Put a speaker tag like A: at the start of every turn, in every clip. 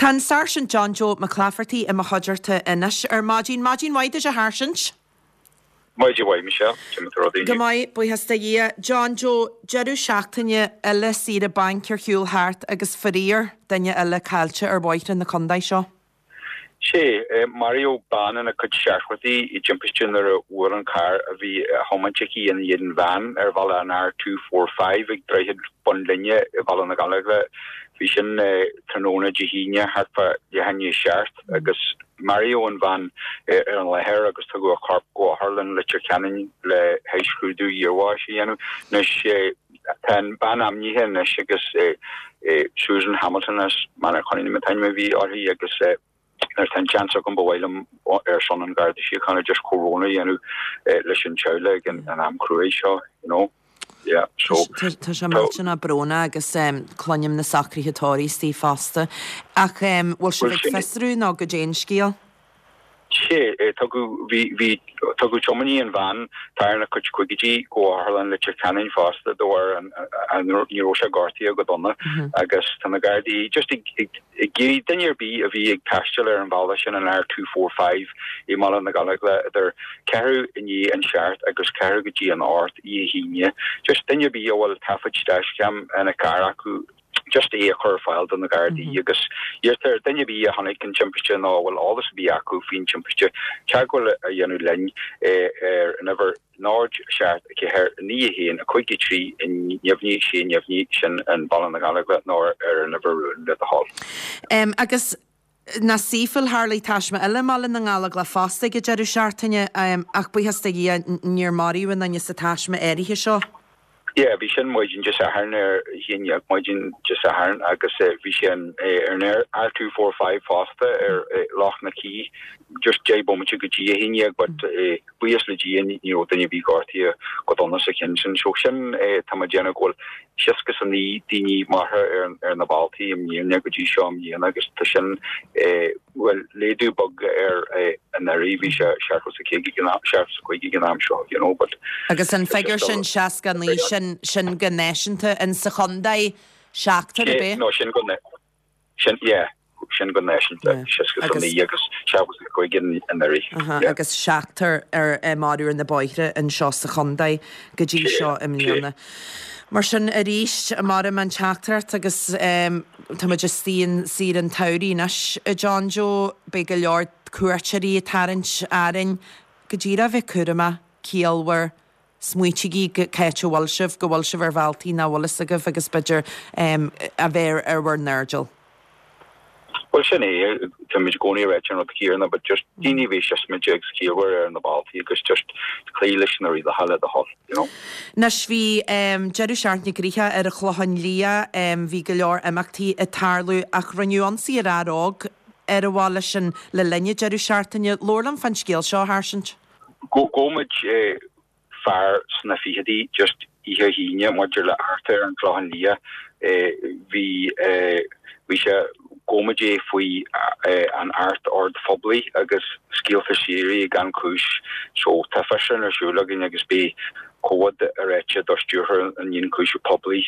A: Tá an Sáirsint John Joe Mac Laifeartaigh i mo chuideachta anois ar maidin. Maidin mhaith duit a Sháirsint.
B: Maidin mhaith, Michelle. Cad é mar atá rudaí
A: Go inniu? maith, buíochas do Dhia. John Joe, deireadh seachtaine eile saoire bainc ar shiúl thart agus faraor, duine eile caillte ar bhóithre na contae seo.
B: Sea, maraíodh bean ina cuid seachtóidí i dtimpiste nuair a bhuail an carr a bhí á thiomáint aici i ndiaidh an bhean ar bhealach an R 245 ag Droichead Bhun Linne i Baile na Gallóglach. Bhí sin tráthnóna Dé hAoine thart fá leath i ndiaidh a seacht agus maraíodh an bhean ar an láthair agus tugadh a corp go Otharlann Leitir Ceanainn le haghaidh scrúdú iarbháis a dhéanamh. Anois. Tá an bhean ainmnithe anois agus Susan Hamilton as Maenach Chonaing an t-ainm a bhí uirthi agus nuair atá an seans agam ba mhaith liom ar son an Gharda Síochána just comhbhrón a dhéanamh leis an teaghlach ag an am cruaidh seo, you know. Yeah, so.
A: Tá sé millteanach brónach agus cluinim na socruithe tórraimh istigh fosta. Ach bhfuil sibh ag fiosrú nó goidé an scéal?
B: Sea, tugadh, bhí, bhí, tugadh tiománaí an veain, atá ina chuid caogaidí, go Otharlann Leitir Ceanainn fosta de bharr an, an, ní raibh sé gortaithe go dona agus tá na Gardaí just ag, ag, ag iarraidh duine ar bith a bhí ag taisteal ar an bhealach sin, an R 245 i mBaile na Gallóglach idir ceathrú i ndiaidh an seacht agus ceathrú go dtí an ocht oíche hAoine, just duine ar bith a bhfuil taifead dashcam ina gcarr acu, just é a chur ar fáil do na Gardaí agus iarrtar ar duine ar bith a chonaic an timpiste nó a bhfuil eolas ar bith acu faoin timpiste teagmháil a dhéanamh linn ar an uimhir 0 7 4 9 1 5 3 neamhní 6 neamhní sin i mBaile na Gallóglach nó ar an uimhir rúnda le do thoil.
A: Agus nach saoithiúil, tharlaigh taisme eile i mBaile na nGallóglach fosta ag an deireadh seachtaine, ach buíochas do Dhia níor maraíodh aon duine sa taisme áirithe seo.
B: Yeah, bhí sin maidin Dé Sathairn ar a haon dhéag maidin Dé Sathairn agus bhí sé ar an R245 fosta ar Loch na Cí just 10 bomaite go dtí a haon dhéag but buíochas le Dia ní raibh duine ar bith gortaithe go dona sa cheann sin. So sin tá mé ag déanamh go bhfuil 69 daoine maraithe ar na bealtaí i mbliana go dtí seo i mbliana agus tá sin bhuel laghdú beag ar anuraidh bhí sé 75 ag an am 75 ag an am seo you know but
A: Agus an figiúr sin 69 sin sin go náisiúnta in sa chontae seachtar ar bith?
B: No sin go Sin, yeah, sin go náisiúnta, 69 agus 75 anuraidh.
A: Yeah. Agus seachtar ar maraíodh ar na bóithre anseo sa chontae go dtí seo i mbliana. Mar sin arís, maram an teachtaireacht agus tá muid istigh in saoire an tsamhraidh anois, a John Joe, beidh go leor cuairteoirí ag tarraingt orainn. Go díreach bheith cúramach, ciallmhar, Smaoitígí cá háit a bhfuil sibh, go bhfuil sibh ar bhealtaí nach bhfuil fhios agaibh agus b'fhéidir a bheith ar bhur n-airdeall.
B: Bhuel sin é, táimid i gcónaí ag ráit an rud céanna but just daoine a bheith siosmaideach agus ciallmhar ar na bealtaí agus just cloí leis na rialacha le do thoil, you know.
A: Anois bhí deireadh seachtaine gnoitheach ar an Chlochán Liath, bhí go leor imeachtaí ag tarlú ach rinneadh ionsaí ar fhear óg ar an bhaile sin le linn an deireadh seachtaine. Labhair liom fán scéal seo, a Sháirsint.
B: Ghabh muid fear sna fichidí just oíche hAoine maidir le eachtra ar an Chlochán Liath. Bhí bhí sé ghabh muid é faoi an Acht Ord Phoiblí agus scéalta síoraí gan chúis. So tá fiosrúchán ar siúl againn agus beidh comhad réitithe do stiúrthóir an Ionchúiseamh Poiblí.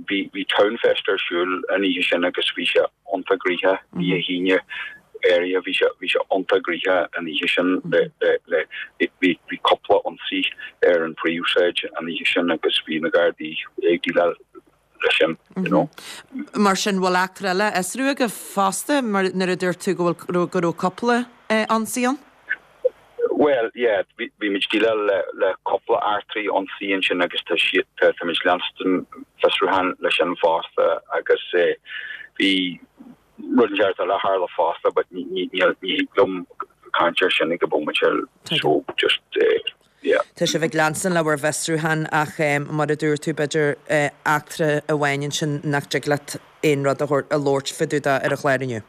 B: Bhí bhí Townfest ar siúl an oíche sin agus bhí sé iontach gnoitheach oíche hAoine. áirithe. Bhí sé, bhí sé iontach gnoitheach an oíche sin le, le, le, bhí, bhí cúpla ionsaí ar an phríomhshráid an oíche sin agus bhí na Gardaí ag déileáil leis sin, you know.
A: Mar sin, bhfuil eachtra eile á fhiosrú agaibh fosta mar nuair a dúirt tú go bhfuil, go raibh cúpla ionsaí ann?
B: Bhuel, yeah, bhí, bhí muid ag déileáil le, le cúpla eachtraí ionsaí ansin agus tá siad, tá, tá muid leanstan fiosrúchán leis sin fosta agus bhí, Rud inteacht eile a tharla fosta but ní thig liom caint air sin ag an bhomaite so just yeah.
A: Tá sibh ag leanstan le bhur bhfiosrúchán ach mar a dúirt tú b'fhéidir eachtra amháin ansin nach dtig leat aon rud a thabhairt a labhairt fá dtaobh de ar an chlár inniu.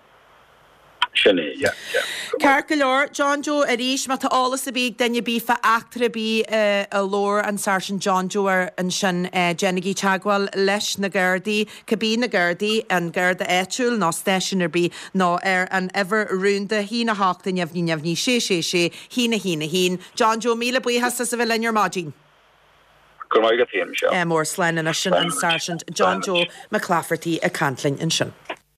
B: Sin é, yeah, yeah.
A: Ceart go leor, John Joe, arís, má tá eolas ar bith ag duine ar bith fá eachtra ar bith a labhair an Sáirsint John Joe air ansin, déanaigí teagmháil leis na Gardaí. Cibé na Gardaí, an Garda áitiúil nó stáisiún ar bith, nó ar an uimhir rúnda 1 8 neamhní neamhní 6 6 6 1 1 1. John Joe, míle buíochas as a bheith linn ar maidin.
B: Go raibh maith agat féin, Michelle.
A: Mór slán anois sin an Sáirsint John Joe Mac Laifeartaigh ag caint linn ansin.